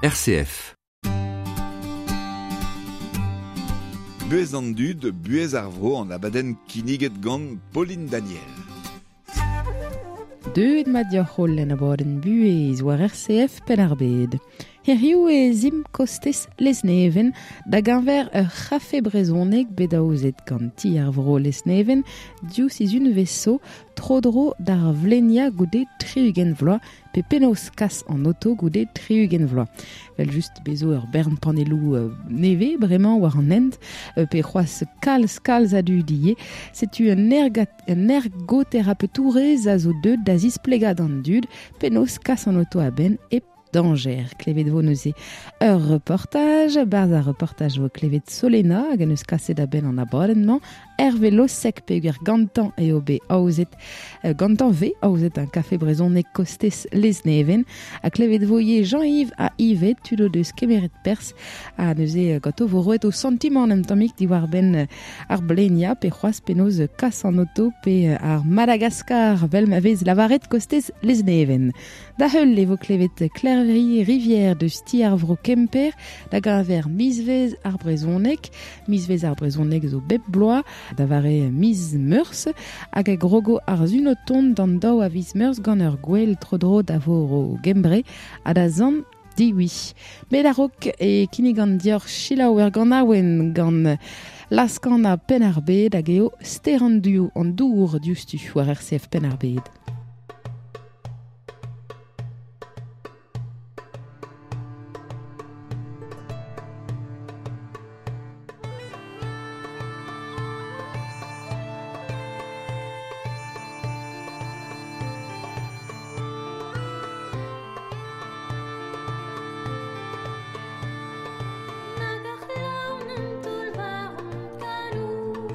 RCF. Buez an dud, buez ar vro an abadenn kinniget gant Pauline Daniel. Deuet mat dioc'h holl en abadenn buhez war RCF Penn-ar-Bed. Hiriv e zimp kostez Lesneven da geñver ur c'hafe brezhoneg bet aozet gant ti ar vro Lesneven div sizhunvezh zo tro-dro d'ar vleniañ goude 60 vloaz pe penaos kas an oto goude 60 vloaz. Vel just bezo ur bern panelloù nevez bremañ war an hent pe c'hoazh kalz kalz a dud ivez. Setu un ergat un ergoterapeutourez a zo deuet da zisplegañ d'an dud penaos kas an oto a-benn hep dañjer. Klevet vo neuze ur reportaj, barzh ar reportaj vo klevet Solena hag en eus kaset a-benn an abadenn-mañ Hervé Losec peogwir gantañ eo bet aozet gantañ vez aozet un kafe brezhoneg kostez Lesneven ha klevet vo ivez Jean-Yves ha Yvette tud o deus kemeret perzh ha neuze ganto vo roet o santimant un tammig diwar-benn ar bleniañ pe c'hoazh penaos kas an oto pe ar Madagaskar vel ma vez lavaret kostez Lesneven. Da heul e vo klevet Klervi Rivière deus ti ar vro Kemper da geñver mizvezh ar brezhoneg. Mizvezh ar brezhoneg zo bep bloaz da vare miz Meurzh hag a grogo ar sun o tont d'an daou a viz Meurzh gant ur gwel tro-dro da vor Gembre ha da Sant Diwi. Met a-raok e kinnigan deoc'h selaou ur ganaouenn gant Laskanna Penn-ar-Bed hag eo Ster an dour diouzhtu war RCF Penn-ar-Bed. Nag ar c'hlav n'en toull war hon kaloun.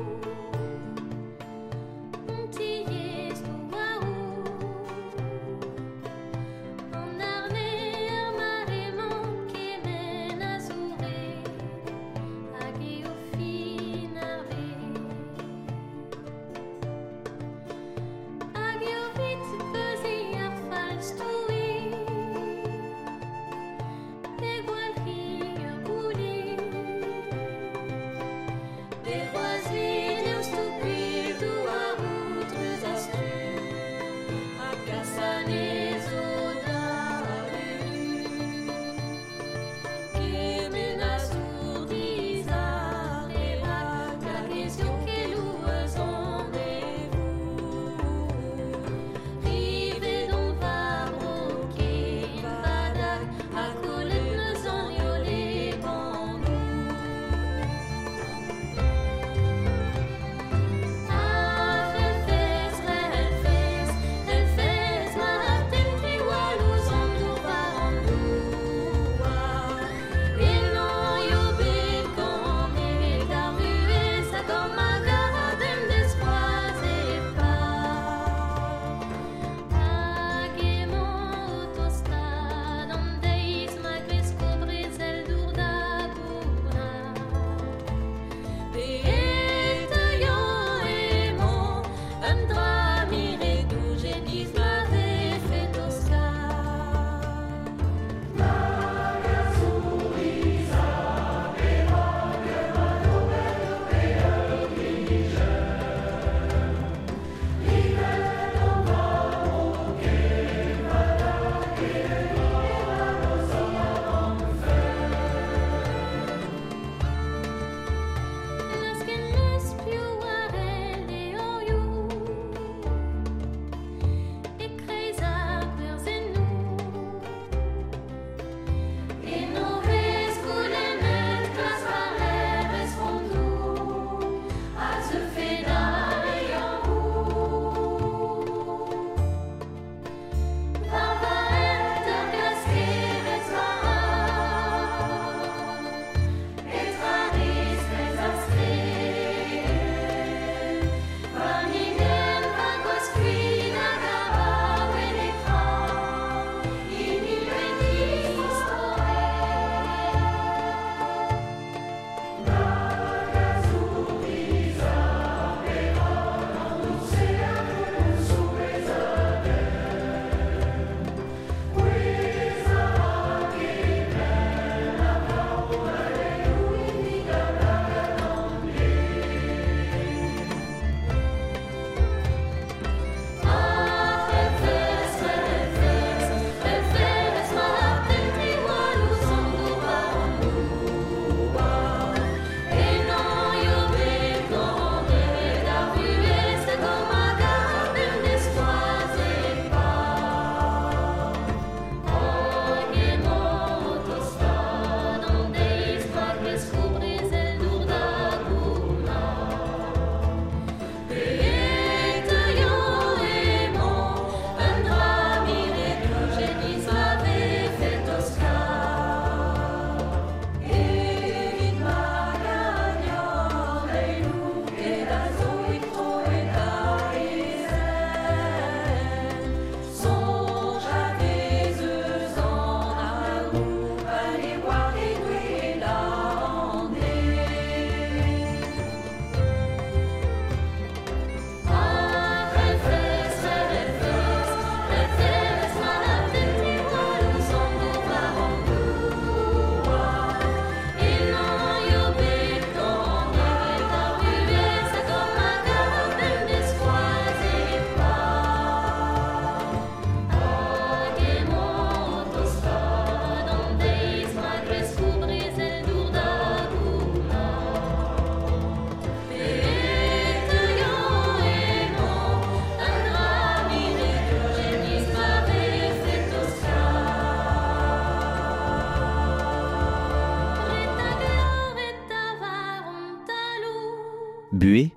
Buhez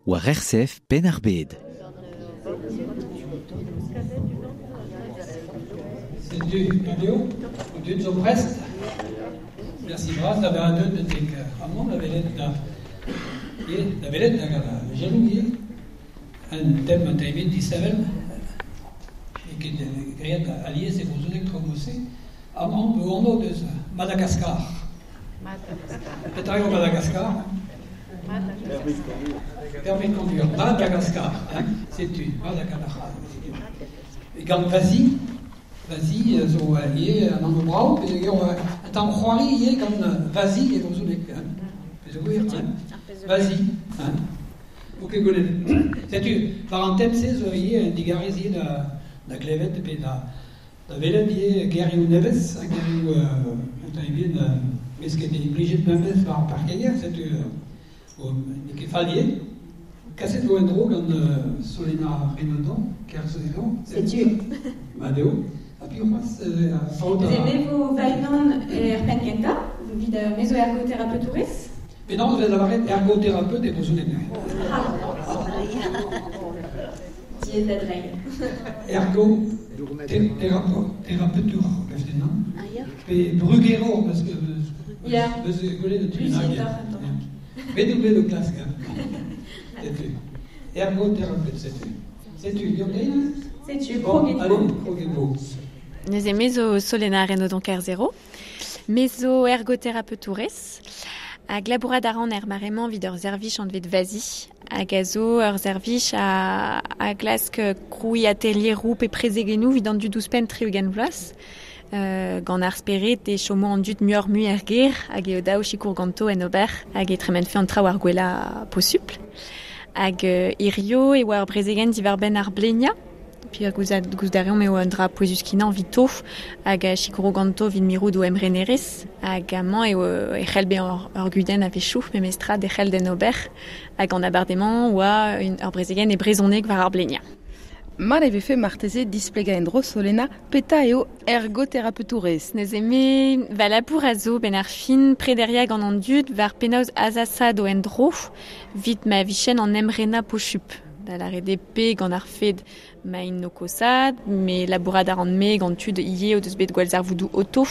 war RCF Penn-ar-Bed. Setu eo, dud zo prest. Merci bras da vezañ deuet betek amañ da welet da da welet hag a gelloù ivez. Un tem a taimit disheñvel n'eo ket graet alies e brezhoneg traoù-se. Amañ eo anv deus Madagaskar. Petra eo Madagaskar? Permis de conduire. Madagascar. Hein? Setu, Madagascar. Gant Vazi, Vazi zo ivez an anv brav, peogwir un tamm c'hoari ivez gant Vazi e brezhoneg. Hein? Peogwir, hein? Vazi. Hein? Ok, gwelet. Setu, war an tem-se zo ivez un digarez ivez da glevet pe da welet ivez gerioù nevez, ha gerioù un tamm ebet vez ket implijet bemdez war ar parkeier, setu n'eo ket fall ivez. Kaset vo en-dro gant Solena Renaudon, Kerzhezon. Setu. Mat eo. Ha piv c'hoazh faot a... Me vo va-unan er penn kentañ, evit me zo ergoterapeutourez. Penaos vez lavaret ergoterapeut e brezhoneg? Diaes da dreiñ. Ergo terapeutour, gav din, non? Pe brugerour, parce que Ya. Beus gwelet un tu bennak. Bet out bet o klask. Setu. Ergoterapeut, setu. Setu, deomp dezhi? Setu, Bon, kroget allez, vo. kroget vo. Neuze me zo Solena Renaudon Kerzero, me zo ergoterapeutourez, hag labourat a ran er mare-mañ evit ur servij anvet Vazi, hag a zo ur servij a glask krouiñ atelieroù pe prezegennoù evit an dud ouzhpenn 60 vloaz. Gant ar spered e chomo an dud muioc'h-mui er gêr hag eo dav sikour ganto en ober hag e tremenfe an traoù ar gwellañ posupl. Hag hirio e oa ur brezegenn diwar-benn ar bleniañ. Puis gouzout a reomp eo un dra pouezus-kenañ evito hag a sikouro ganto evit mirout o emrenerezh. Hag amañ eo e c'hell bezañ ur gudenn a-wechoù memestra derc'hel d'en ober. Hag an abardaez-mañ oa ur brezegenn e brezhoneg war ar bleniañ. Mat e vefe marteze displegañ en-dro Solena petra eo ergoterapeutourez. Neuze me va labour a zo benn ar fin prederiañ gant an dud war penaos azasad o en-dro evit ma vichen an emrenañ posupl. Da lâret eo pe gant ar fed ma int o kosaat, me labourat a ran me gant tud ivez o deus bet gwallzarvoudoù oto.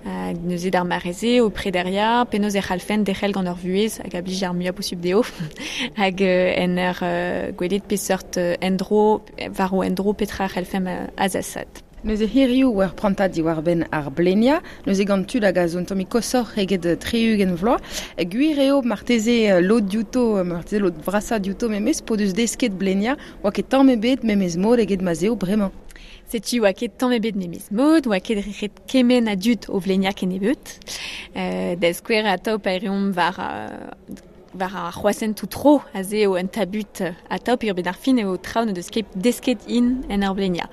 Hag neuze d'ar mare-se o prederiañ penaos e c'hallfen derc'hel gant ur vuhez hag a blij ar muiañ posupl dezho. Hag en ur gwelet peseurt endro, war o endro petra c'hallfemp azasat. Neuze hiriv war prantad diwar-benn ar bleniañ, neuze gant tud hag a zo un tammig koshoc'h eget 60 vloaz. Gwir eo marteze lod diouto, marteze lod vrasañ diouto memes, p'o deus desket bleniañ, oa ket tamm ebet memes mod eget ma 'z eo bremañ. Setu oa ket tamm ebet memes mod, oa ket ret kement a dud o vleniañ kennebeut. Da skouer atav pa reomp war ar c'hroasentoù tro, aze eo un tabut atav peogwir bet ar fin eo traoù n'o deus ket desket int en ur bleniañ.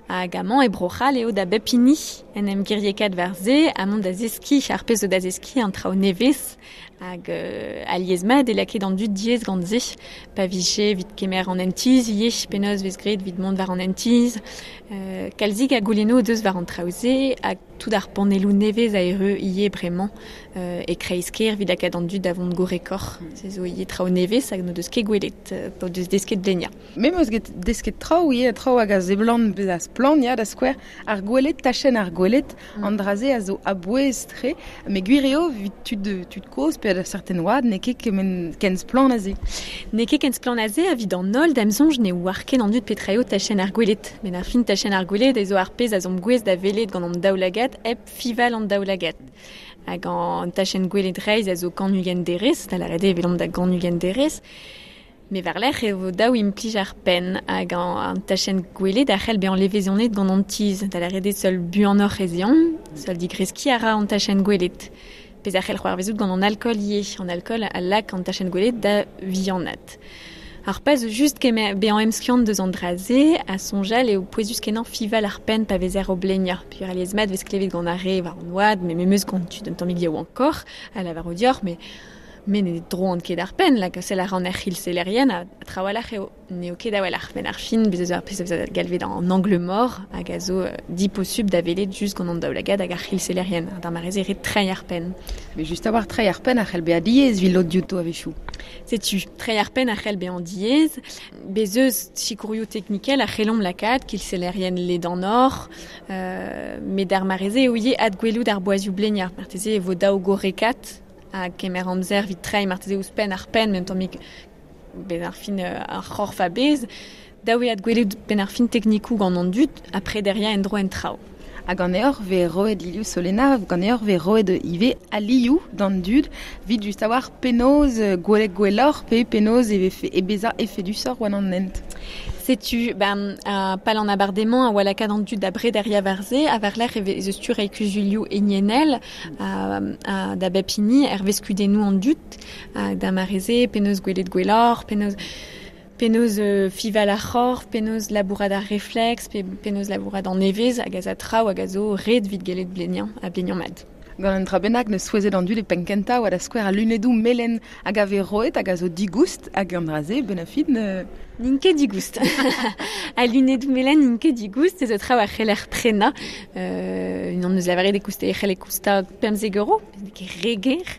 Hag amañ e Bro-C'hall eo da bep hini en em giriekaat war se, amañ da zeskiñ ar pezh zo da zeskiñ an traoù nevez hag alies-mat e lakaet an dud diaes gant se. Pa vije evit kemer an hent-tizh ivez, penaos vez graet evit mont war an hent-tizh. Kalzik a goulennoù o deus war an traoù-se hag tout ar panelloù nevez a erru ivez bremañ e kreiz-kêr evit lakaat an dud da vont gorrekoc'h. Se zo ivez traoù nevez hag n'o deus ket gwelet, p'o deus desket bleniañ. Me 'm eus desket traoù ivez, traoù hag a seblant bezañ splann, ya, da skouer ar gwelet, tachenn ar gwelet, an dra-se a zo a-bouez-tre, met gwir eo evit tud kozh pe da certain oad n'eo ket kement ken splann aze. N'eo ket ken splann aze evit an holl da'm soñj ne oar ket an dud petra eo tachenn ar gwelet. Met ar fin tachenn ar gwelet ez zo ar pezh a zomp gouest da welet gant an daoulagad hep fival an daoulagad. Hag an tachenn gwelet reizh a zo 120 derez, da lâret eo evelomp da 120 derez. Me war-lerc'h e vo dav implij ar penn hag an tachenn gwelet a c'hell bezañ levezonet gant an tizh, da lâret eo seul buanoc'h ez eomp, seul digreskiñ a ra an tachenn gwelet. Pezh a c'hell c'hoarvezout gant an alkool ivez, an alkool a lak an tachenn gwelet da vihanaat. Ar pezh zo just kemer bezañ emskiant deus an dra-se a soñjal eo pouezus-kenañ fival ar penn pa vezer o bleniañ. Peogwir alies-mat vez klevet gant ar re war an oad, met memes gant tud un tammig yaouankoc'h, a lavaro deoc'h, mais me ne droan ket ar penn, lak sell a ran er c'hilsellerien ha trawalc'h eo n'eo ket a-walc'h. Met ar fin, bez' eus ar pezh a vez galvet an angle mort hag a zo diposubl da welet just gant an daoulagad hag ar c'hilsellerien. D'ar mare-se ret treiñ ar penn. Mais just a-walc'h treiñ ar penn a c'hell bezañ diaes evit lod diouto a-wechoù. Setu, tre ar penn a c'hell bezañ diaes, bez eus sikourioù teknikel a c'hellomp lakaat kilsellerien ledan or, met ar mareze eo ivez adgwelout ar boazioù bleniañ. Marteze e vo daou gorrekat ha kemer amzer evit treiñ marteze ouzhpenn ar penn, met un tammig benn ar fin ar c'horf a-bezh. Daou eo adgwelout benn ar fin teknikoù gant an dud ha prederiañ en-dro en traoù. Ha ganeoc'h vez roet Liliou Solena, ganeoc'h vez roet ivez alioù d'an dud evit just a-walc'h penaos gwelet gwelloc'h pe penaos e vefe e bezañ efedusoc'h war an hent. Setu, ben, pal an abardaez-mañ a oa lakaat an dud da brederiañ war se, ha war-lerc'h e vez eus tu reiñ kuzulioù hiniennel da bep hini hervez kudennoù an dud, da mare-se, penaos gwelet gwelloc'h, penaos fival ar c'horf, penaos labourat ar refleks, pe penaos labourat an evezh hag a za traoù hag a zo ret evit gellet bleniañ ha bleniañ mat. Gant un dra bennak neus souezhet an dud e penn-kentañ oa da skouer al lunedoù melen hag a vez roet hag a zo digoust hag an dra-se benn ar fin. N'int ket digoust. Al lunedoù melen n'int ket digoust, ez zo traoù a c'heller prenañ. Unan eus lavaret e kouste e c'helle koustañ 15 euro, n'eo ket re ger.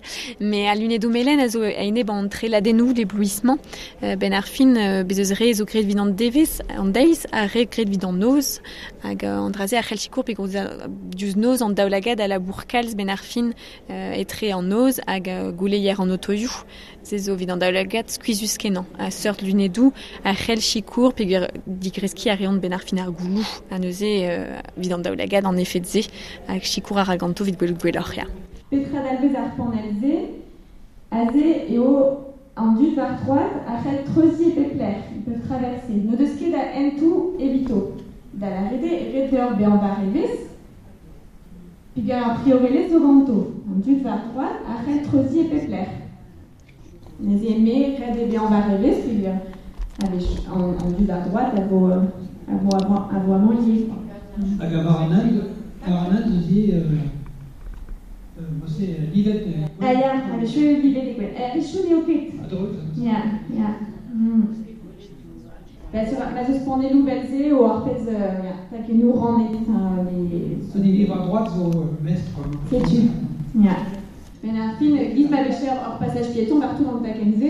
Mais al lunedoù melen a zo a-enep an treladennoù d'éblouissement. Ben ar fin, bez eus re zo graet evit an devezh, an deiz, ha re graet evit an noz. Hag an dra-se a c'hell sikour peogwir diouzh noz an daoulagad a labour kalz ben ar fin etre an noz hag gouleier an otoioù. Se zo evit an daoulagad skuizhus-kenañ. A seurt lunedoù a c'hell sikour peogwir digreskiñ a reont ben ar fin ar gouloù. Ha neuze evit an daoulagad an efed-se hag sikour a ra ganto evit gwelout gwelloc'h, ya. Petra dalvez ar panell-se? Aze eo an dud war troad a c'hell treuziñ e pep lec'h, ils peuvent traverser. N'o deus ket a hentoù evito. Da lâret eo ret deoc'h bezañ war evezh, peogwir ar priorelezh zo ganto. An dud war troad a c'hell treuziñ e pep lec'h. Neuze me ret eo bezañ war evezh peogwir a-wech an dud war droad a vo a vo amañ ivez. Hag war an hent, war an hent eus ivez se livet. Ah ya, a-wechoù eo livet e gwenn. A-wechoù n'eo ket. A-dreuz. Ya, ya. Bah, sur, ma zeus panelloù vel-se eo ar pezh ya, takennoù rannet. Les... An hini war droad zo mestr. Setu, ya. Ben ar fin, giz ma vecher ur passage piéton partout an takenn-se.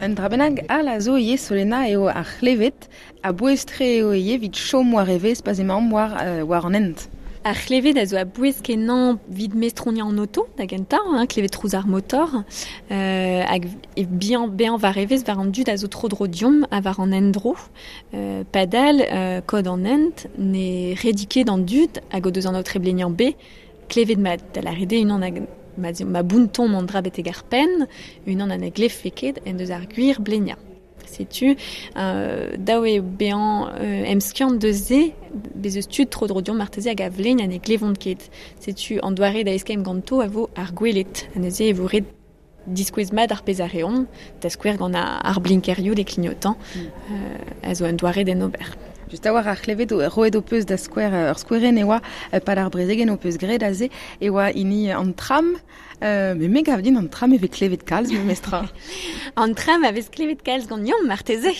Un dra bennak all a zo ivez Solena eo ar c'hlevet a bouez-tre eo ivez evit chom war evezh pa'z emaomp war an hent. Ar c'hlevet a zo a bouez kenañ evit mestroniañ an oto da gentañ, hein, klevet trouz ar motor, hag e bihan bezañ war evezh war an dud a zo tro-dro deomp ha war an endro. Padal, kod an hent ne redi ket an dud hag o deus an aotre bleniañ B klevet mat da lâret eo unan hag ma bountomp an dra betek ar penn, unan ha na glevfe ket en deus ar gwir bleniañ. Setu, daou eo bezañ emskiant deus se, bez eus tud tro-dro deomp marteze hag a vlegn ha ne glevont ket. Setu an doare da eskemm ganto a vo ar gwelet. Ha neuze e vo ret diskouez mat ar pezh a reont, da skouer gant ar blinkerioù de clignotant, a zo un doare d'en ober. Just a-walc'h ar c'hlevet roet ho peus da skouer ur skouerenn e oa pad ar brezegenn ho peus graet aze e oa hini an tram. Mais me gav din an tram e vez klevet kalz memestra. An tram a vez klevet kalz ganeomp marteze.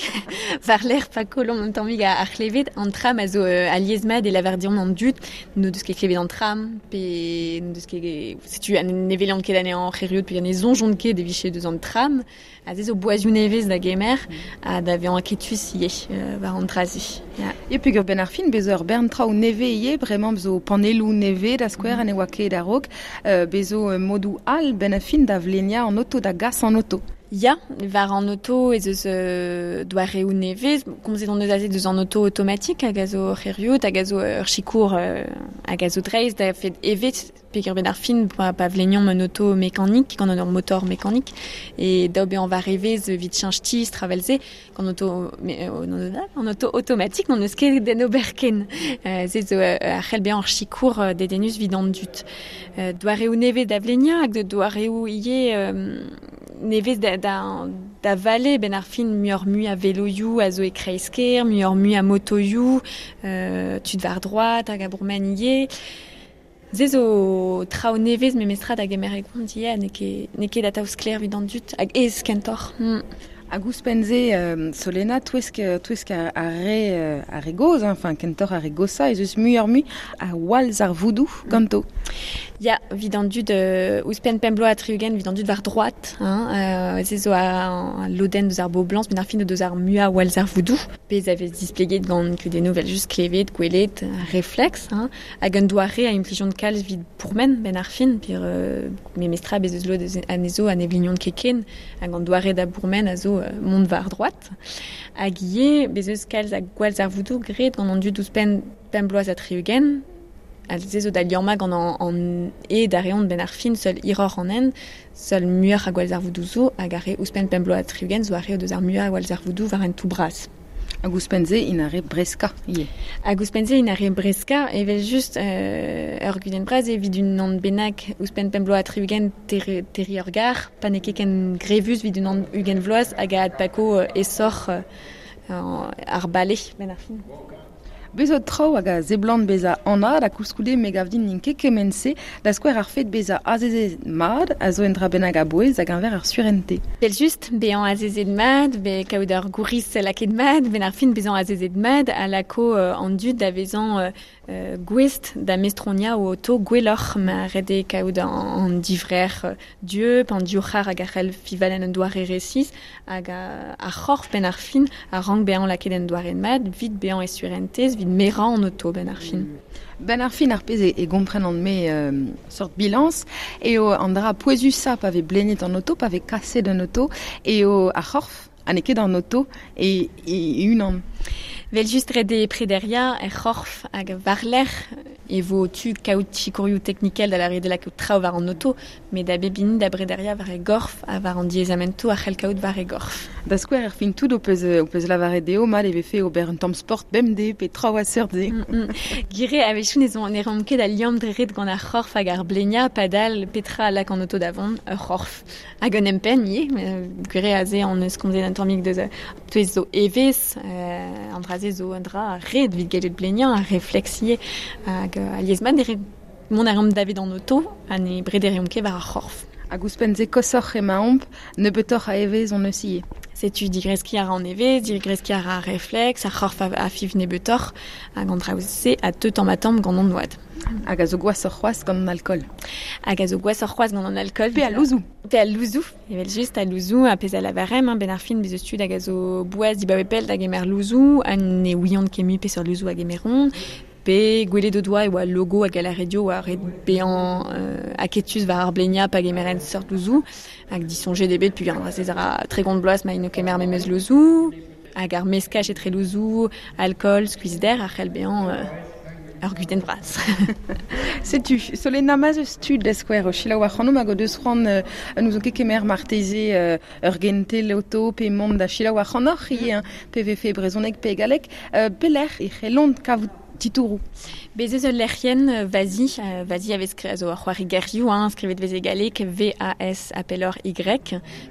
War-lerc'h pa kollomp un tammig ar c'hlevet, an tram a zo alies mat e lavar deomp an dud n'o deus ket klevet an tram pe n'o deus ket setu ne welont ket anezhañ c'heriot pe ne soñjont ket e vije deus an tram. A ze zo boazioù nevez da gemer ha da vezañ aketus ivez war an dra-se. Ya. E peogwir benn ar fin bez ur bern traoù nevez ivez, bremañ zo panelloù nevez da skouer ha ne oa ket a-raok, bez zo modoù all benn ar fin da vleniañ an oto, da gas an oto. Ya, war an oto ez eus doareoù nevez, komzet hon eus aze deus an oto automatik hag a zo c'heriot, hag a zo ur sikour hag a zo dreist da fet evet peogwir benn ar fin pa vleniomp un oto mekanik gant ur motor mekanik e daou bezañ war evezh evit cheñch tizh travel-se gant oto an oto automatik n'on eus ket d'en ober ken. Se zo ar c'hell bezañ ur sikour dedennus evit an dud. Doareoù nevez da vleniañ hag doareoù ivez nevez da vale benn ar fin muioc'h-mui a veloioù a zo e kreiz-kêr, muioc'h-mui a motoioù, tud war droad hag a bourmen ivez. Se zo traoù nevez memestra da gemer e gont ivez, n'eo ket atav sklaer evit an dud hag aes kentoc'h. Hag ouzhpenn-se, Solena, touesk, touesk ar re, ar re gozh, hein, enfin, kentoc'h ar re goshañ, ez eus muioc'h-mui a wallzarvoudoù ganto. Ya, evit an dud ouzhpenn pemp bloaz ha tri-ugent, evit an dud war droad, hein, se zo a lodenn deus ar boblañs, met ar fin o deus ar muiañ a wallzarvoudoù. Pezh a vez displeget gant kudennoù evel-just klevet, gwelet, refleks, hein, hag un doare a implijont kalz evit pourmen benn ar fin, pir memestra bez eus lod anezho ha ne vlignont ket ken, hag an doare da bourmen a zo mont war droad. Hag ivez, bez eus kalz a gwallzarvoudoù graet gant an dud ouzhpenn pemp bloaz ha tri-ugent, ha se zo da liammañ gant an hed a reont benn ar fin, seul hiroc'h an hent, seul muioc'h a gwallzarvoudoù zo, hag ar re ouzhpenn pemp bloaz ha tri-ugent zo ar re o deus ar muiañ a gwallzarvoudoù war hentoù bras. Hag ouzhpenn-se int ar re breskañ ivez. Hag ouzhpenn-se int ar re breskañ, evel-just ur gudenn bras evit unan bennak ouzhpenn pemp bloaz ha tri-ugent terriñ ur gar, pa n'eo ket ken grevus evit unan ugent vloaz hag a adpako aesoc'h ar bale benn ar fin. Bez zo traoù hag a seblant bezañ anat ha koulskoude me gav din n'int ket kement-se, da skouer ar fed bezañ azezet mat a zo un dra bennak a-bouez da geñver ar surentez. Evel-just, bezañ azezet mat, be kaout ur gouriz lakaet mat, benn ar fin bezañ azezet mat a lako an dud da vezañ gouest da mestroniañ o oto gwelloc'h ma ret eo kaout an divrec'h dieub, an divc'har hag a c'hell fiñval en un doare resis hag ar c'horf benn ar fin a rank bezañ lakaet en doare mat evit bezañ e surentez, evit merañ an oto benn ar fin. Benn ar fin ar pezh e gomprenan-me seurt bilañs eo an dra pouezusañ pa vez bleniet an oto, pa vez kaset an oto, eo ar c'horf ha n'eo ket an oto e unan. Vel-just ret eo prederiañ er c'horf hag war-lerc'h e vo tu kaout sikourioù teknikel da lâret lakaat traoù war an oto, met da bep hini da brederiañ war e gorf ha war an diaezamentoù a c'hell kaout war e gorf. Da skouer er fin tout ho peus lavaret dezho mat e vefe ober un tamm sport bemdez pe traoù a seurt-se. Gwir eo, a-wechoù ne reomp ket al liamm dre ret gant ar c'horf hag ar bleniañ, padal petra a lak an oto da vont, ur c'horf. Hag un empenn ivez, gwir eo aze hon eus komzet un tammig deus touez zo evezh, an dra-se zo un dra ret evit gellet bleniañ, ar refleks ivez, hag alies-mat ne mont a reomp davet an oto ha ne brederiomp ket war ar c'horf. Hag ouzhpenn-se koshoc'h emaomp, nebeutoc'h a evezh hon eus ivez. Setu digreskiñ a ra an evezh, digreskiñ a ra ar refleks, ar c'horf a fiñv nebeutoc'h, hag an traoù-se a teu tamm-ha-tamm gant an oad. Hag a zo gwashoc'h c'hoazh gant an alkool. Hag a zo gwashoc'h c'hoazh gant an alkool. Pe al louzoù. Pe al louzoù, evel-just, al louzoù, ha pezh a lavaremp, hein, benn ar fin, bez eus tud hag a zo boas dibaoe pell da gemer louzoù, ha ne ouiont ket mui peseurt louzoù a gemeront, pe gwelet o doa e oa logo hag a lâre dezho oa ret bezañ aketus war ar bleniañ pa gemerent seurt louzoù, hag disoñjet eo bet peogwir an dra-se a ra 30 bloaz ma int o kemer memes louzoù, hag ar meskaj etre louzoù, alkool, skuizhder a c'hell bezañ ur gudenn vras. Setu, Solena, ma'z eus tud da skouer o selaou ac'hanomp hag o deus c'hoant n'ouzon ket kemer marteze ur gentel oto pe mont da selaou ac'hanoc'h ivez, pe vefe brezhoneg pe galleg, pelec'h e c'hellont kavout titouroù. Bez eus ul lec'hienn Vazi, Vazi a vez a zo ur c'hoari gerioù, hein, skrivet vez e galleg V-A-S appellor Y.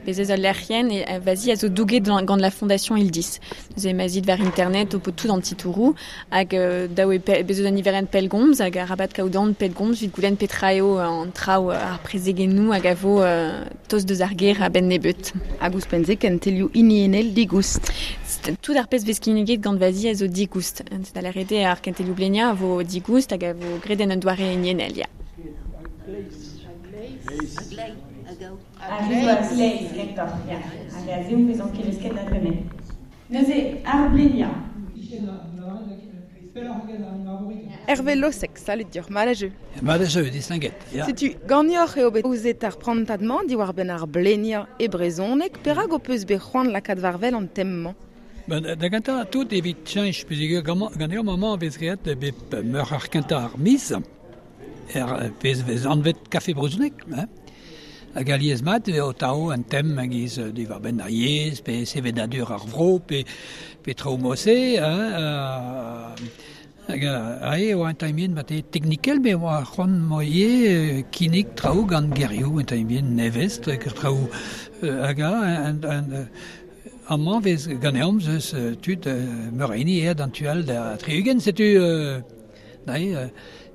Bez eus ul lec'hienn e Vazi a zo douget gant la Fondation Ildis. Neuze emañ war internet o po tout an titouroù hag daou eo bez eus un niverenn pellgomz hag arabat kaout an pellgomz evit goulenn petra eo an traoù ar prezegennoù hag a vo tost deus ar gêr a-benn nebeut. Hag ouzhpenn-se kentelioù hiniennel digoust. Tout ar pezh vez kinniget gant Vazi a zo digoust. Da lâret eo ar kentelioù bleniañ a vo digoust hag a vo graet en un doare hiniennel, ya. Ar re zo a-gleiz kentoc'h, ya. Hag a-zehou 'vezont kelesket da dremen. Neuze, ar bleniañ. Hervé Losec, salud deoc'h, mat a jeu. Mat a jeu, distinguet. Ya. Setu, ganeoc'h eo bet aozet ar prantad-mañ diwar-benn ar bleniañ e brezhoneg. Perak ho peus bet c'hoant lakaat war-wel an tem-mañ? Ben, da gentañ tout evit cheñch peogwir ganeomp amañ vez graet bep meur ar kentañ ar miz er pezh vez anvet kafe brezhoneg. Hein. Hag alies mat eo tav un tem a-giz diwar-benn ar yezh, pe sevenadur ar vro, pe traoù mod-se. Hein, hag aze e oa un tamm mat teknikel, met oa c'hoant 'moa ivez kinnig traoù gant gerioù un tamm nevez, traoù hag amañ vez ganeomp eus tud meur a hini aet an tu all da tri-ugent, setu nae,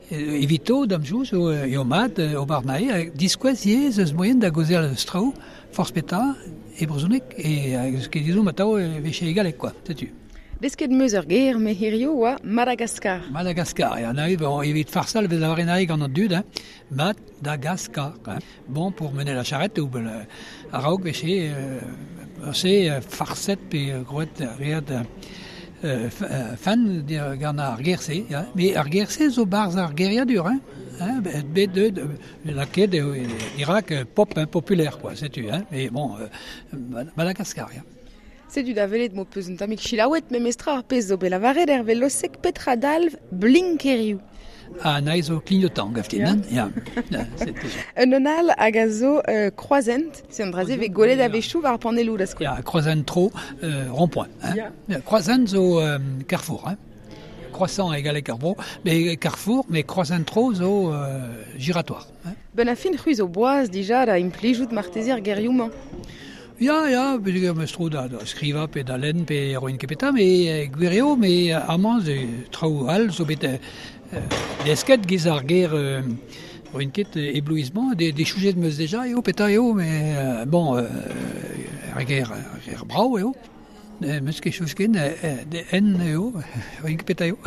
evito da'm soñj eo mat ober nae, diskouez ivez eus moaien da gaozeal eus traoù, Forz petra e brezhoneg e ket dizomp atav e veche e galleg quoi, setu. Desket 'm eus ur ger me hirio oa Madagascar. Madagascar, ya, na, bon, evit farsal vez lavaret nae gant an dud, hein. Madagascar, hein. Bon, pour mener la charrette, ou a-raok veche se farset pe groet reat fan gant ar ger-se, ya. Mais ar ger-se zo barzh ar geriadur, hein. Hein, bet deut, lakaet eo dirak pop, hein, populaire, quoi, setu, hein. Mais bon, Madagascar, ya. Setu da welet m'ho peus un tammig selaouet memestra ar pezh zo bet lavaret er veloseg petra dalv blinkerioù. Ah, nae zo clignotant, gaftin, hein? Ya. Un un all hag a zo kroazhent, se an dra-se vez gwelet a-wechoù war ar panelloù da skouer. Ya, kroazhent tro, rond-point. Hein? Ya. Kroazhent zo carrefour, hein? Croissant e galleg ar vro, mais carrefour, mais kroazhent tro zo giratoire. Hein? Ben a fin c'hwi zo boaz dija da implijout marteze ar gerioù-mañ. Ya, ya, peogwir 'm eus tro da skrivañ pe da lenn pe roin ket petra, met gwir eo, met amañ zo traoù all zo bet desket giz ar ger roin ket éblouissement, dechouzet 'm eus deja eo petra eo, met bon, ar ger brav eo. 'm eus ket chouz ken, en eo, roin ket petra eo.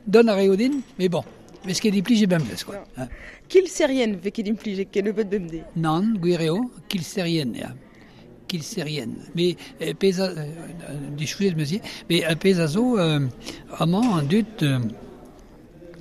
Dont a raio din, mais bon. Vez ket implijet bemdez, quoi. Kilserien vez ket implijet kennebeut bemdez. Nann, gwir eo, kilserien, ya. Kilserien. Mais pezh a dichouez 'm eus ivez, mais pezh a zo amañ an dud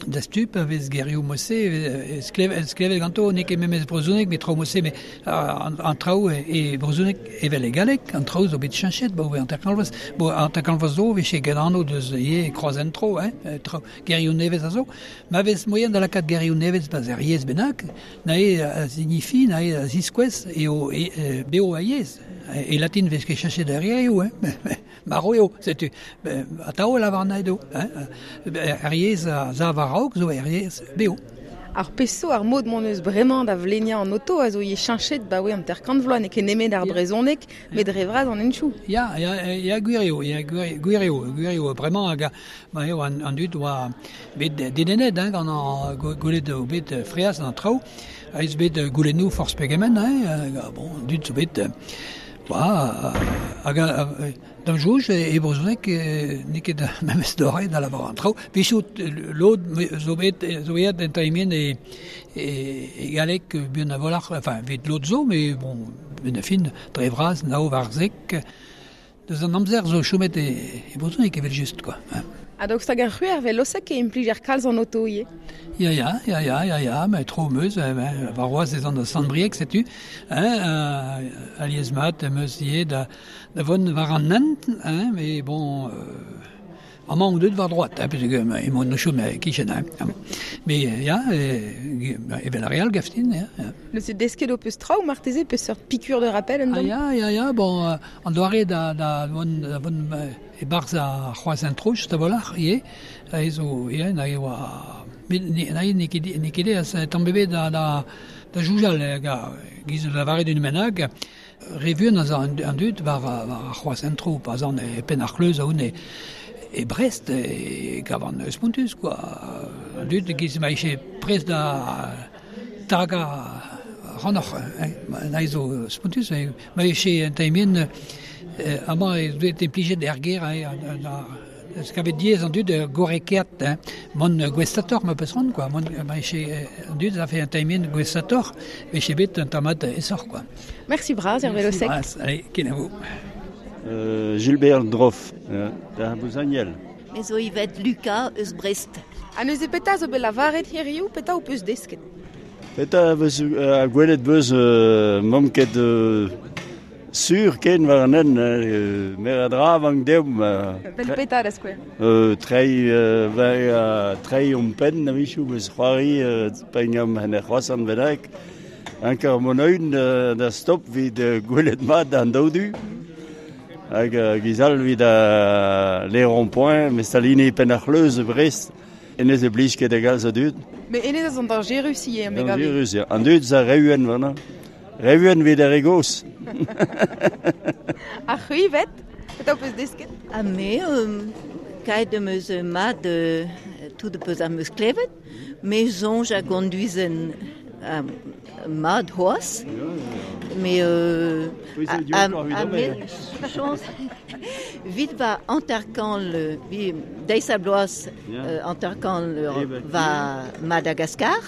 da stup a vez gerioù mod-se sklevet ganto n'eo ket memes brezhoneg met traoù mod-se met an traoù e brezhoneg evel e galleg an traoù zo bet cheñchet 'baoe hanter-kant vloaz. Bon hanter-kant vloaz zo e vije get anv deus ivez kroazhent-tro hein traoù gerioù nevez a zo. Ma vez moaien da lakaat gerioù nevez 'barzh ur yezh bennak, neuze a signifi, neuze a ziskouez eo bev ar yezh. E latin 'vez ket cheñchet ar gerioù, hein. Marv eo, setu. Atav e lavar anezho, hein. Ar yezh a sav a-raok zo er yezh bev. Ar pezh zo ar mod m'hon eus bremañ da vleniañ an oto a zo ivez cheñchet 'baoe hanter-kant vloaz, n'eo ket nemet ar brezhoneg, met dre vras an henchoù. Ya, ya, ya, gwir eo, ya, gwir eo, gwir eo. Bremañ hag ma eo an dud oa bet dedennet hein, gant an gwelet eo bet freaz an traoù, ha ez bet goulennoù forzh pegement, hein, bon, an dud zo bet oa hag d'am soñj e brezhoneg n'eo ket memes doare da lavaret an traoù. Wechoù lod zo bet zo aet en taimien e e galleg buan a-walc'h, enfin evit lod zo, mais bon, benn ar fin, dre vras, nav war zek. Deus an amzer zo chomet e brezhoneg evel-just quoi. Ha daoust hag ar c'hwec'h velosek e implijer kalz an oto ivez? Ya, ya, ya, ya, ya, ya, met tro 'm eus, warc'hoazh ez an da Sant-Brieg, setu, hein, alies-mat em eus ivez da vont war an hent, hein, mais bon, amañ on deuet war droad, hein, peogwir emaon o chom e-kichen, hein. Mais ya, evel ar re all, gav din, ya. Neuze desket ho peus traoù marteze peseurt piqûre de rappel un Ah ya, ya, ya, bon, an doare da da vont da vont e-barzh ar c'hroazhent-tro just a-walc'h ivez, aze zo ya, na e oa met n'eo ket n'eo ket aes tamm ebet da da da soñjal giz lavaret un bennak. Re vuan az a an dud war ar c'hroazhent-tro pa 'z an e penn ar c'hleuz a-hont e Brest e gavan spontus quoi. An dud e-giz ma vije prest da tagañ ac'hanoc'h. Hein. Zo spontus. Ma vije un taimien amañ eo bet implijet er gêr hein, kavet diaes an dud gorrekaat hein. Mont gouestatoc'h ma peus c'hoant quoi. Mont ma vije an dud a fait un taimien gouestatoc'h, vije bet un tamm-mat aesoc'h quoi. Merci bras Hervé Losec. Merci bras, allez, kenavo. Gilbert Droff, da Bouzaniel. Me zo Yvette Lucas eus Brest. Ha neuze petra zo bet lavaret hiriv, petra ho peus desket? Petra veus gwelet beus m'omp ket sur ken war an hent, mer a dra vank deomp. Vel petra da skouer? Treiñ treiñ hon penn a-wechoù meus c'hoari pegam en er c'hroazhent bennak. Anker mont eun da stop evit gwelet mat an daou du. Hag giz all evit les ronds-points, met saline penn ar c'hleuz e Brest. Hennezh e blij ket da galz a dud. Mais hennezh a zo dañjerus ivez, me gav. Dañjerus, ya. An dud a reuen warnañ. Reuen evit ar re gozh. Ha c'hwi, 'vet? Petra ho peus desket? Ha me, kaet am eus mat tout peus am eus klevet. Me soñj a gonduizen Mad c'hoazh. Me a me chañs 'vit va hanter-kant vi deiz ha bloaz hanter-kant va Madagascar,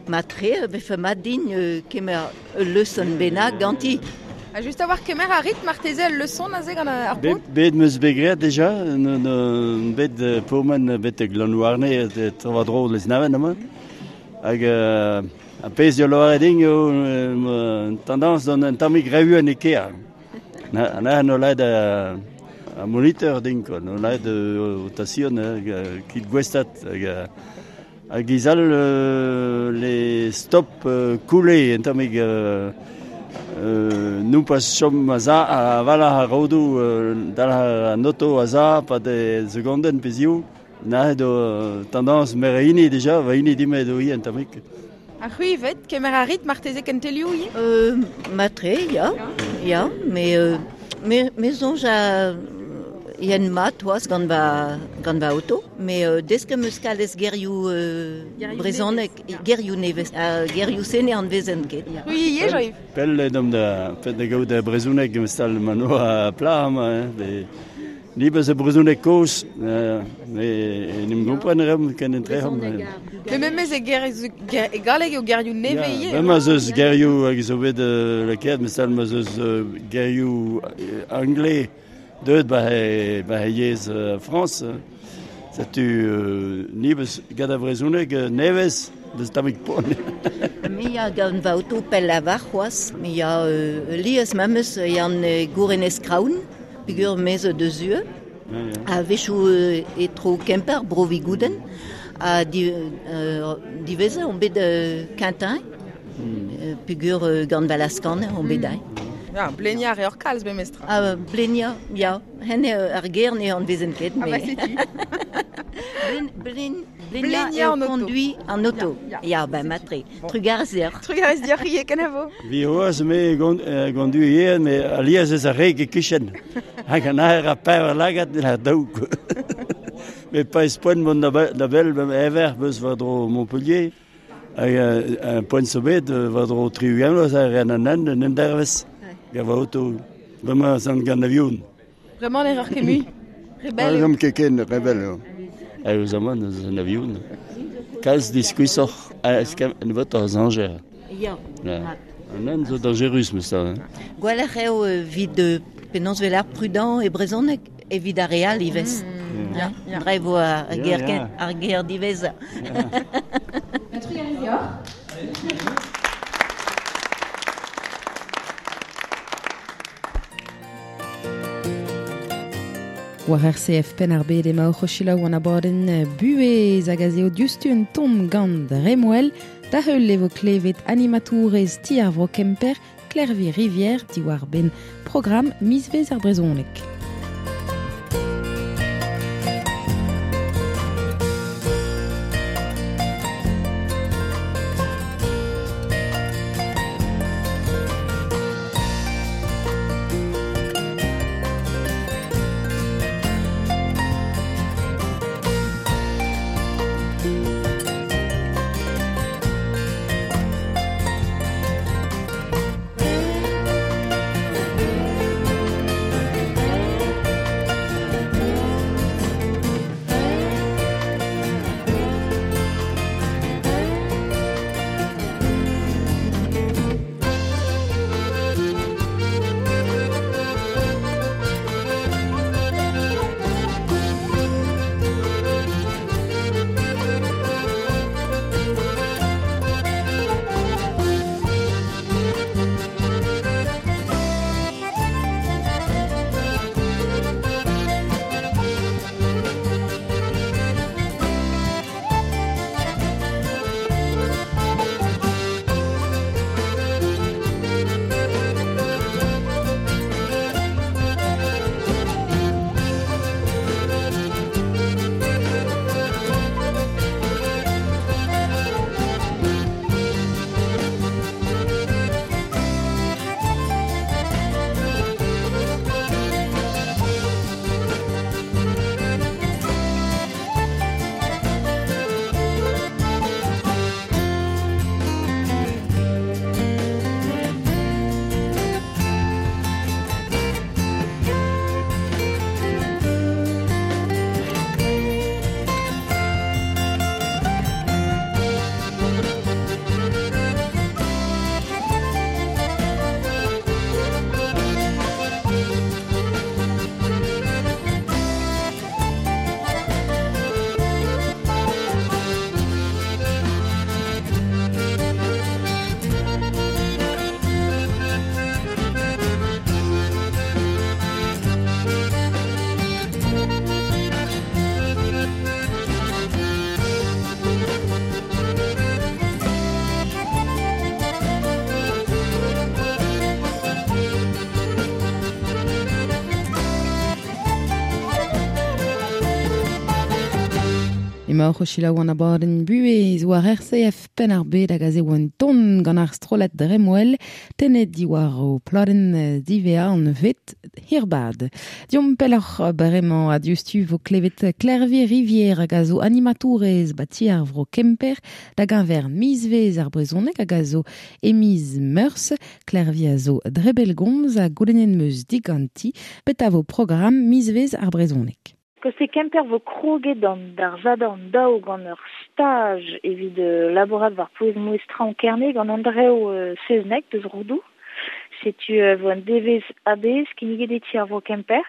matre vefe mat din kemer ul leson bennak ganti. Ha just a-walc'h kemer a rit marteze ul leson aze gant ar paotr? Bet 'm eus bet graet dija, bet pourmen betek Lanhouarne tro-war-dro Lesneven amañ. Hag ar pezh zo lavaret din eo tendance d'an un tammig re vuan e kêr. Neuze no lakaet ar moniteur din quoi, no lakaet rotation kit gouestad hag hag giz all les stop coulé un tammig nompas chom a-za a-walc'h ar rodoù dalc'h an oto a-za 'pad e segondenn pe ziv. Neuze do tendance mer hini dija, va hini din-me do ivez un tammig. Ha c'hwi ivez, kemer a rit marteze kentelioù ivez? Matre, ya, ya, me me me soñj a yen mat c'hoazh gant va gant va oto, me desk am eus kalz gerioù brezhoneg, gerioù nevez, ha gerioù-se ne anavezen ket. C'hwi ivez, Jean-Yves? Pell eo da pell da gaout brezhoneg stal ma noa plac'h amañ, hein, Ni beus e brezhoneg kozh, en em gompren a reomp ken entreomp. Met memes e ger, e galleg eo gerioù nevez ivez. Ma 'z eus gerioù hag zo bet lakaet, mesal ma 'z eus gerioù anglais deuet ba he yezh Frañs. Setu ni beus gant ar brezhoneg nevez deus tammig poan. Me ya gant va oto pell a-walc'h c'hoazh. Me ya lies memes yann Gourenez Kraoun. Peogwir me zo deus ue, a-wechoù e-tro Kemper, Bro-Vigoudenn, ha diwezhañ on bet Quintin, peogwir gant va laz-kaner on bet aet. Ya, bleniañ a reoc'h kalz memestra. Ah, bleniañ, ya. Hen eo ar ger ne anavezen ket. Ah bah setu. Bleniañ eo konduiñ an oto. Ya, ben matre. Trugarez deoc'h. Trugarez deoc'h ivez, kenavo. Vi c'hoazh me gondu ivez, me alies eus ar reg e-kichen. Hag an aer ha pevar lagad en daou. Me pa ez poent mont da bell ever beus war-dro Montpellier. Hag un poent zo bet war-dro 60 vloaz a ren an hent un endervezh gant va oto. Bremañ ez an gant avion. Bremañ ne reoc'h ket mui. Rebel eo. Ne ket ken, rebel eo. Eus amañ eus an avion. Kalz diskuizhoc'h nebeutoc'h a zañjer. Ya. An hent zo dañjerus memes tra. Gwelloc'h eo evit penaos 'vel ar prudent e brezhoneg evit ar re all ivez. Dre vo ar ger ar ger diwezhañ. Trugarez deoc'h. War RCF Penn-ar-Bed emaoc'h o selaou an abadenn Buhez hag aze eo diouzhtu un ton gant Remouel. Da heul e vo klevet animatourez Ti ar Vro Kemper, Klervi Rivière, diwar-benn programm Mizvezh ar brezhoneg. Emaoc'h o selaou an abadenn Buhez war RCF Penn-ar-Bed hag aze oan ton gant ar strollad Dremwell tennet diwar o pladenn diwezhañ an vet Hirbad. Diomp pelloc'h bremañ ha diouzhtu vo klevet Klervi Rivière hag a zo animatourez ba ti ar vro Kemper da geñver mizvezh ar brezhoneg hag a zo e miz Meurzh. Klervi a zo dre bellgomz ha goulennet 'm eus diganti petra vo programm mizvezh ar brezhoneg. Koste Kemper vo kroget an d'ar Sadorn daou gant ur staj evit labourat war pouez-mouezh Traoñ Kerne gant Andrev Seznec deus Roudoù. Setu vo un devezh a-bezh kinniget e ti ar vro Kemper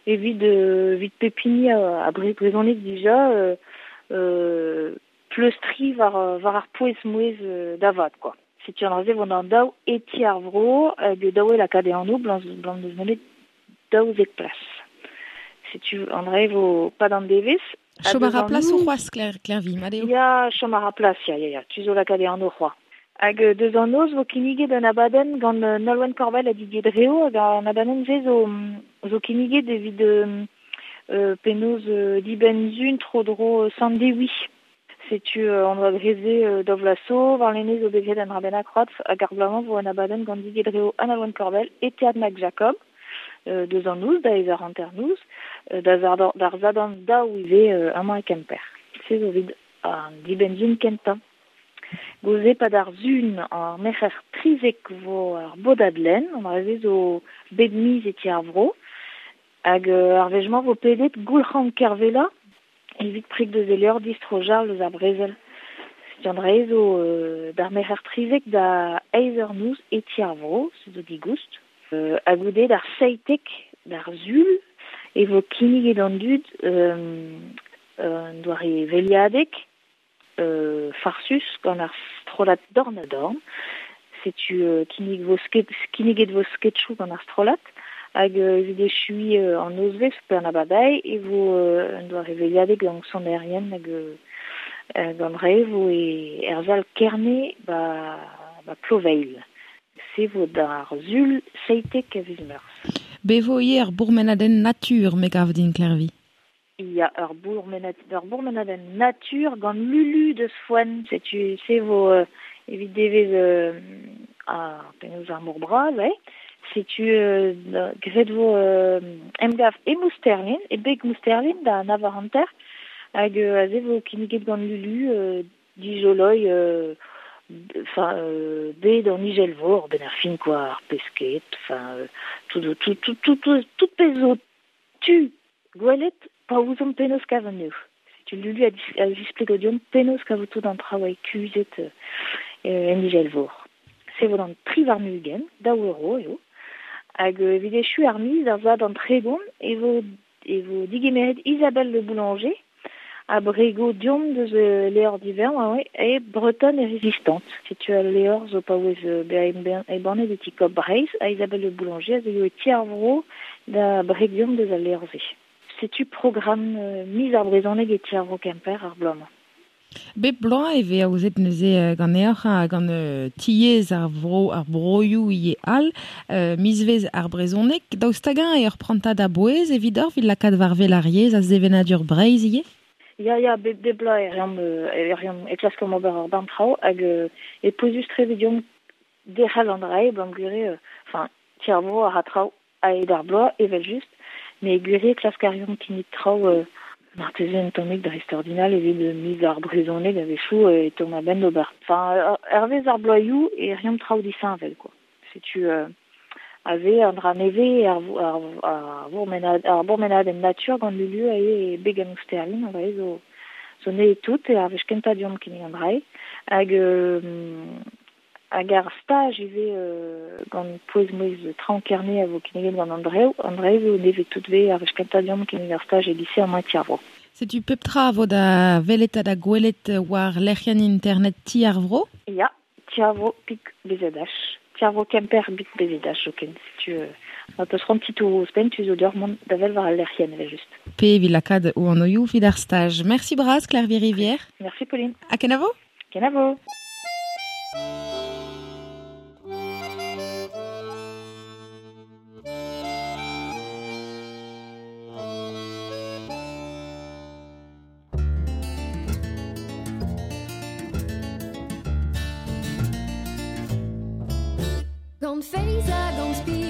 evit evit pep hini a brezhoneg dija pleustriñ war war ar pouez-mouezh da vat kwa. Setu an dra-se vo an daou e ti ar vro hag daou eo lakaat e anv blam n'eus nemet 12 plas. Setu an dra vo pad an devezh. Chom a ra plas c'hoazh, Klervi, mat eo? Ya, chom a ra plas, ya, ya, ya. Tu zo lakaat e anv c'hoazh. Hag deus an noz vo kinniget un abadenn gant Nolwenn Corbel ha Didier Dreo hag an abadenn-se zo, zo kinniget evit penaos dibenn-sun tro-dro Sant-Dewi. Setu an oa graet-se daou vloaz zo, warlene zo bet graet un dra bennak c'hoazh hag ar bloaz-mañ vo un abadenn gant Didier Dreo ha Nolwenn Corbel e Teatr Max Jacob. Deus an noz da eizh eur hanternoz, da d'ar Sadorn daou ivez amañ e Kemper. Se zo evit an dibenn-sizhun kentañ. Goude 'pad ar Sun ar merc'her 13 vo ar bodad lenn, an dra-se zo bep miz e ti ar vro. Hag ar wech-mañ vo pedet Goulc'han Kervella evit preg deus e levr distro Jarl eus ar brezel. Setu an dra-se zo d'ar merc'her 13 da eizh eur noz e ti ar vro, se zo digoust. Ha goude d'ar 17 d'ar Sul e vo kinniget an dud un doare veliadeg farsus gant ar strollad dorn-ha-dorn. Setu kinnig vo kinniget vo sketchoù gant ar strollad hag evit echuiñ an nozvezh pe an abardaez e vo un doare veliadeg gant sonerien hag gant re vo e er sal Kerne ba ba Ploveilh. Se vo d'ar Sul 17 a viz Meurzh. Bez vo ivez ur bourmenadenn natur, me gav din, Klervi. Ya, ur bourmenadenn natur gant Lulu deus Foenn. Setu se vo evit devezh ar penaos ar mor bras, eh. Setu graet vo emgav e Mousterlin, e beg Mousterlin da nav eur hanter. Hag aze vo kinniget gant Lulu dijoloiñ enfin bed an izelvor benn ar fin quoi, ar pesked, enfin tout tout tout tout tout tout pezh zo tu gwelet pa ouzomp penaos kav anezho. Setu Lulu a zisplego deomp penaos kavout tout an traoù kuzhet en izelvor. Se vo d'an tri warn-ugent, daou euro eo. Hag evit echu ar miz, ar bloaz d'an 30, e vo e vo digemeret Isabelle Le Boulanger a brego deomp deus levr divern e Bretonne et résistante. Setu al levr zo paouez bezañ embannet e ti Coop Breizh ha Isabelle Le Boulanger a zeuio e ti ar vro da breg deomp deus al levr-se. Setu programm miz ar brezhoneg e ti ar vro Kemper ar bloaz-mañ. Bep bloaz e vez aozet neuze ganeoc'h ha gant tiez ar vro ar broioù ivez all mizvezh ar brezhoneg. Daoust hag-eñ eo ur prantad a-bouez evidoc'h evit lakaat war wel ar yezh ha sevenadur Breizh ivez? Ya, ya, bep bloaz e reomp, e reomp, e klaskomp ober ur bern traoù hag e pouezus-tre evit deomp derc'hel an dra-se, blam gwir enfin, ti ar vro a ra traoù a-hed ar bloaz evel-just, met gwir eo klask a reomp kinnig traoù marteze un tammig dreistordinal evit miz ar brezhoneg a-wechoù e teuomp a-benn d'ober. Enfin, hervez ar bloazioù e reomp traoù disheñvel quoi. Setu aze an dra nevez ar ar bourmenadenn natur gant Lulu eo e beg an Ousterlin an dra-se zo zo nevez tout eo ar wech kentañ deomp kinnig an dra-se hag hag ar staj ivez gant pouez-mouezh Traoñ Kerne a vo kinniget gant Andrev. An dra-se zo nevez tout 'vez ar wech kentañ deomp kinnig ar staj e lise amañ e Ti ar Vro. Setu pep tra a vo da welet ha da gwelet war lec'hienn internet Ti ar Vro? Ya, Ti ar Vro pik BZH. Ti ar Vro Kemper bik BZH zoken. Setu ma peus c'hoant titouroù ouzhpenn, tu zo deoc'h mont da wel war al lec'hienn evel-just. Pe evit lakaat o anvioù evit ar staj. Merci bras, Klervi Rivière. Merci Pauline. Ha kenavo? Kenavo! Gant feiz ha gant spi.